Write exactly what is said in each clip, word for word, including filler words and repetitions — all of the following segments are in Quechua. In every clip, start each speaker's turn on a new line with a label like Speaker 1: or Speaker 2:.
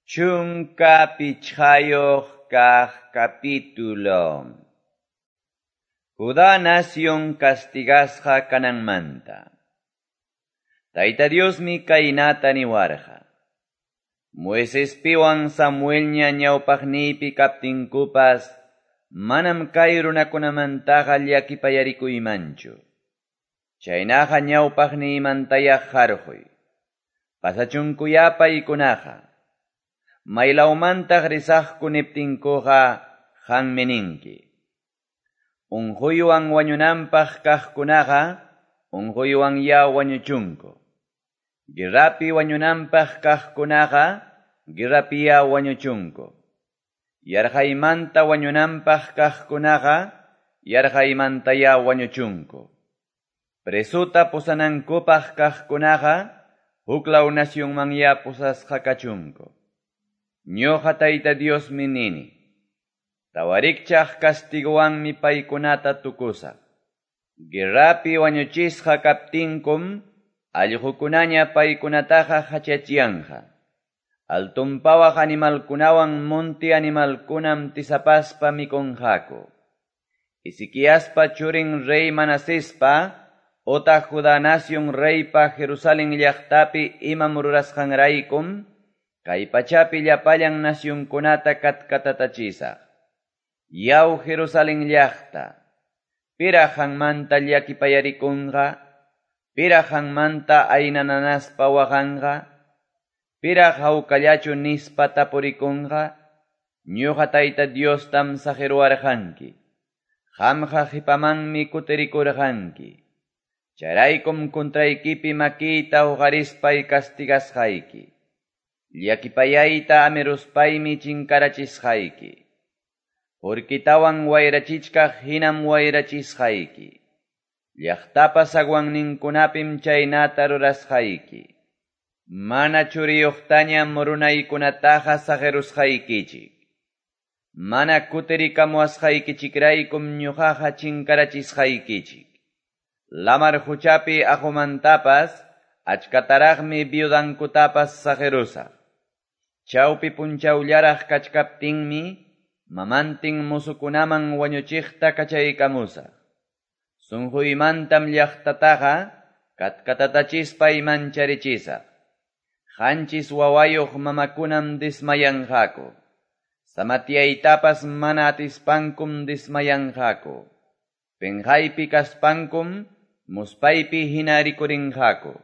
Speaker 1: Chunka pichqayuq kaq capítulo. Judá nación castigasqa kananmanta. Tayta Diosmi kaynata niwarqa. Moisespiwan Samuelña ñawpaqniypi kaptinkupas manam kay runakunamantaqa llakipayarikuymanchu. Chaynaqa ñawpaqniymantaya qarquy. Pasachunkuyá paykunaqa. Maylawmantaq risaqku niptinkuqa qanmi ninki. Unquywan wañunanpaq kaqkunaqa unquywan ya wañuchunku. Guerrapi wañunanpaq kaqkunaqa guerrapiya wañuchunku. Yarqaymanta wañunanpaq kaqkunaqa yarqaymantaya wañuchunku. Presuta pusanankupaq kaqkunaqa huklaw nacionmanya pusasqa kachunku. Ñuqa Tayta Diosmi nini. Tawarikchaq castiguwanmi paykunata tukusaq. Guerrapi wañuchisqa kaptinkum allqukunaña paykunataqa hachachiyanqa. Altunpawaq animalkunawan monti animalkunam tisapaspa mikunqaku. Ezequiaspa churin rey Manasespa otaq Judá nación reypa Jerusalén llaqtapi imam rurasqanraykum kay pachapi llapallan nacionkunata katkatatachisaq. Yaw Jerusalén llaqta, piraq qanmanta llakipayarikunqa, piraq qanmanta aynananaspa waqanqa, piraq hawkallachu nispa tapurikunqa, ñuqa Tayta Diostam saqiruwarqanki, qamqa qipamanmi kutirikurqanki. Chayraykum contraykipi makiyta uqarispay castigasqayki. Llakipayayta amiruspaymi chinkarachisqayki. Urkitawan wayrachichkaq hinam wayrachisqayki. Llaqtapa zaguanninkunapim chaynata rurasqayki. Mana churiyuqtañam runaykunataqa saqirusqaykichik. Mana kutirikamuwasqaykichikraykum ñuqaqa chinkarachisqaykichik. Lamar huchapi aqumantapas achkataraqmi viudankutapas saqirusaq. Chawpi punchawllaraq kachkaptinmi mamantin musukunaman wañuchiqta kachaykamusaq. Sunquymantam llaqtataqa katkatatachispay mancharichisaq. Qanchis wawayuq mamakunam desmayanqaku. Samatiyaytapas mana atispankum desmayanqaku. Penqaypi kaspankum muspaypi hina rikurinqaku.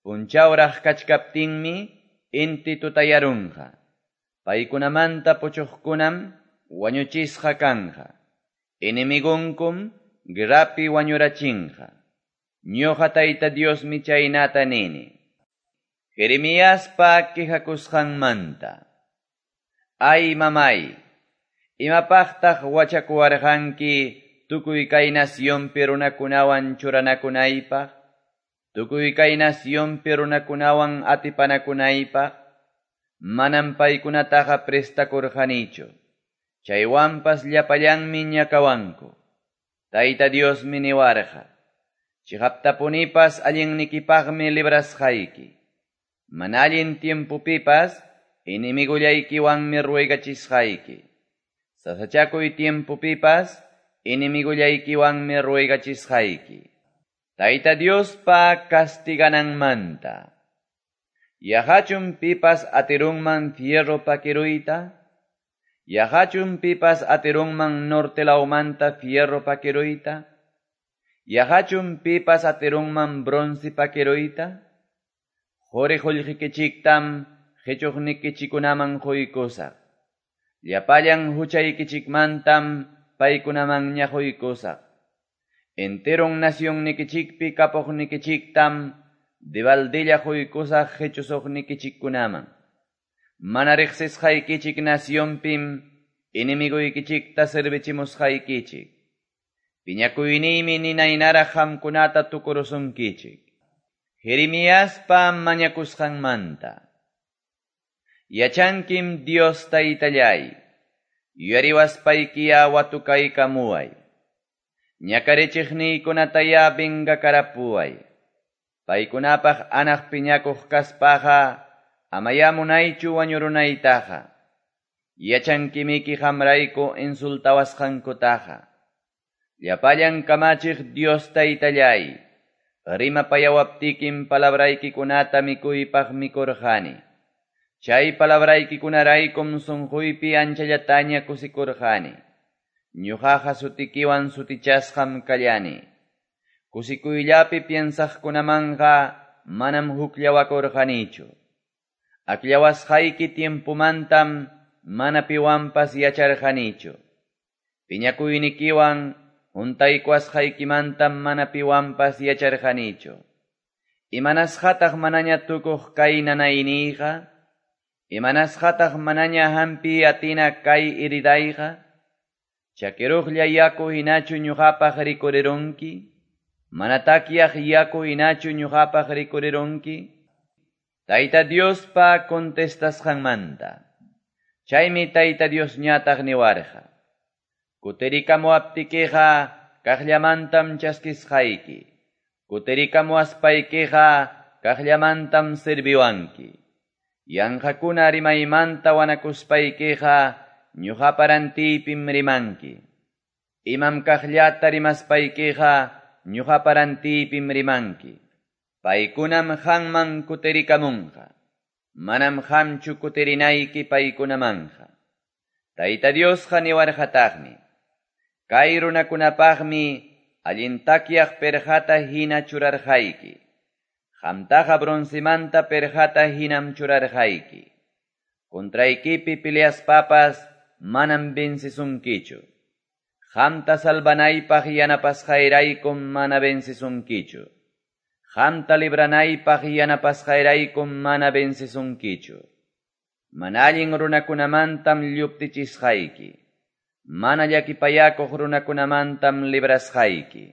Speaker 1: Punchawraq kachkaptinmi inti tutayarunqa. Paykunamanta puchuqkunam wañuchisqa kanqa. Enemigunkum guerrapi wañurachinqa. Ñuqa Tayta Diosmi chaynata nini. Jeremiaspa quejakusqanmanta. Ay mamay, imapaqtaq wachakuwarqanki tukuy kay nacionpi runakunawan churanakunaypaq, tukuy kay nacionpi runakunawan atipanakunaypaq, manam paykunataqa prestakurqanichu. Chaywanpas llapallanmi ñakawanku. Tayta Diosmi niwarqa. Chiqaptapunipas allinnikipaqmi librasqayki. Mana allin tiempopipas enemigullaykiwanmi ruegachisqayki. Sasachakuy tiempopipas enemigullaykiwanmi ruegachisqayki. Tayta Diospa castigananmanta. Yaqachum pipas atirunman fierro pakiruyta? Yaqachum pipas atirunman norte lawmanta fierro pakiruyta? Yaqachum pipas atirunman bronce pakiruyta? Quri qullqikichiktam qichuqnikichikunaman quykusaq. Llapallan huchaykichikmantam paykunamanña quykusaq. Enteron nacionnikichikpi kapuqnikichiktam debaldilla quykusaq qichusuqnikichikkunaman. Mana riqsisqaykichik nacionpim enemiguykichikta servichimusqaykichik. Piñakuyniymi ninaynaraq qamkunata tukurusunkichik. Jeremiaspa mañakusqanmanta. Yachankim Dios Taytallay, yuyariwaspaykiya watukaykamuway. Ñakarichiqniykunataya vengakarapuway. Paykunapaq anaq piñakuq kaspaqa Amayá munaychu wañurunaytaqa. Yachankimiki qamrayku insultawasqankutaqa. Llapallan kamachiq Dios Taytalláy, rimapayawaptikim palabraykikunata mikuypaq mikurqani. Chay palabraykikunaraykum sunquypi anchallataña kusikurqani. Ñuqaqa sutikiwan sutichasqam kallani. Kusikuyllapi piensaqkunamanqa manam hukllawakurqanichu. Akllawasqayki tiempumantam mana piwanpas yacharqanichu. Piñakuynikiwan huntaykuwasqaykimantam mana piwanpas yacharqanichu. Imanasqataq manaña tukuq kay nanayniyqa? Imanasqataq manaña hampi atina kay heridayqa? Chakiruqlla yaku hinachu ñuqapaq rikurirunki? Mana takyaq yaku hinachu ñuqapaq rikurirunki? Tayta Diospa contestasqanmanta. Chaymi Tayta Diosñataq niwarqa. Kutirikamuwaptikiqa kaqllamantam chaskisqayki. Kutirikamuwaspaykiqa kaqllamantam sirviwanki. Yanqakuna rimaymanta wanakuspaykiqa ñuqapa rantiypim rimanki. Imam kaqllata rimaspaykiqa ñuqapa rantiypim rimanki. Paykunam qamman kutirikamunqa. Manam qamchu kutirinayki paykunamanqa. Tayta Diosqa niwarqataqmi. Kay runakunapaqmi allin takyaq perqata hina churarqayki. Qamtaqa broncemanta perqata hinam churarqayki. Contraykipi peleaspapas manam vencisunkichu. Qamta salvanaypaq yanapasqayraykum mana vencisunkichu. Qamta libranaypaq yanapasqayraykum mana vencisunkichu. Mana allin runakunamantam lluptichisqayki. Mana llakipayakuq runakunamantam librasqayki.